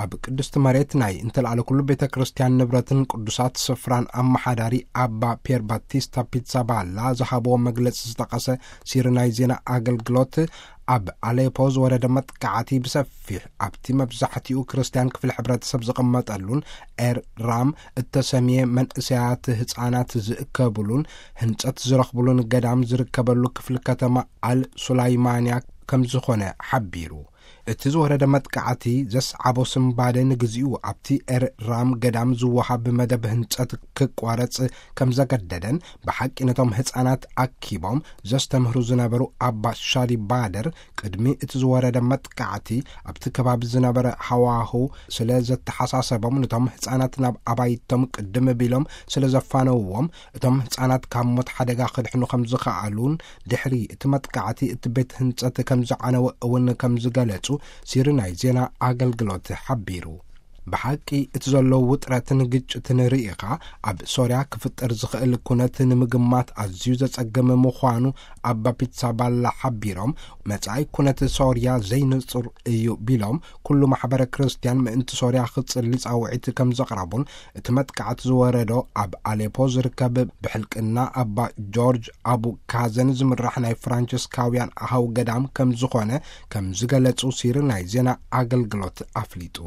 ኣብ ቅድስቲ መሬት ናይ እንተልኣለ ኩሉ ቤተ ክርስቲያን ንብረትን ቅዱሳት ስፍራን ኣመሓዳሪ ኣባ ፒየር ባቲስታ ፒትሳባላ ዝሃብዎ መግለጺ ዝጠቐሰ ሲሪ ናይ ዜና ኣገልግሎት፣ ኣብ ኣሌፖ ዝወረደ መጥቃዕቲ ብሰፊሕ ኣብቲ መብዛሕትኡ ክርስቲያን ክፍሊ ሕብረተሰብ ዝቕመጠሉን ኤር ራም እተሰምየ መንእሰያት ህጻናት ዝእከብሉን ህንጸት ዝረኽብሉን ገዳም ዝርከበሉ ክፍሊ ከተማ ኣል ሱላይማንያ ከም ዝኾነ ሓቢሩ። እቲ ዝወረደ መጥቃዕቲ ዘስዓቦ ስንባደ ንግዚኡ ኣብቲ ኤር ራም ገዳም ዝወሃብ መደብ ህንጸት ክቋረጽ ከም ዘገደደን፣ ብሓቂ ነቶም ህጻናት ኣኪቦም ዘስተምህሩ ዝነበሩ ኣባ ሻዲ ባደር፣ ቅድሚ እቲ ዝወረደ መጥቃዕቲ ኣብቲ ከባቢ ዝነበረ ሃዋሁ ስለ ዘተሓሳሰቦም፣ ነቶም ህጻናት ናብ ኣባይቶም ቅድም ቢሎም ስለ ዘፋነውዎም፣ እቶም ህጻናት ካብ ሞት ሓደጋ ክድሕኑ ከም ዝኸኣሉን፣ ድሕሪ እቲ መጥቃዕቲ እቲ ቤት ህንጸት ከም ዝዓነወ እውን ከም ዝገለጹ ሲሪ ናይ ዜና ኣገልግሎት ሓቢሩ። ብሓቂ እቲ ዘሎ ውጥረትን ግጭትን ርኢኻ ኣብ ሶርያ ክፍጠር ዝኽእል ኩነት ንምግማት ኣዝዩ ዘጸግም ምዃኑ ኣባ ፒትሳባላ ሓቢሮም፣ መጻኢ ኩነት ሶርያ ዘይንጹር እዩ ቢሎም፣ ኩሉ ማሕበረ ክርስቲያን ምእንቲ ሶርያ ክጽሊ ጻውዒት ከም ዘቕረቡን፣ እቲ መጥቃዕቲ ዝወረዶ ኣብ ኣሌፖ ዝርከብ ብሕልቅና ኣባ ጆርጅ ኣቡ ካዘን ዝምራሕ ናይ ፍራንቸስካውያን ኣሃው ገዳም ከም ዝኾነ ከም ዝገለጹ ሲሪ ናይ ዜና ኣገልግሎት ኣፍሊጡ።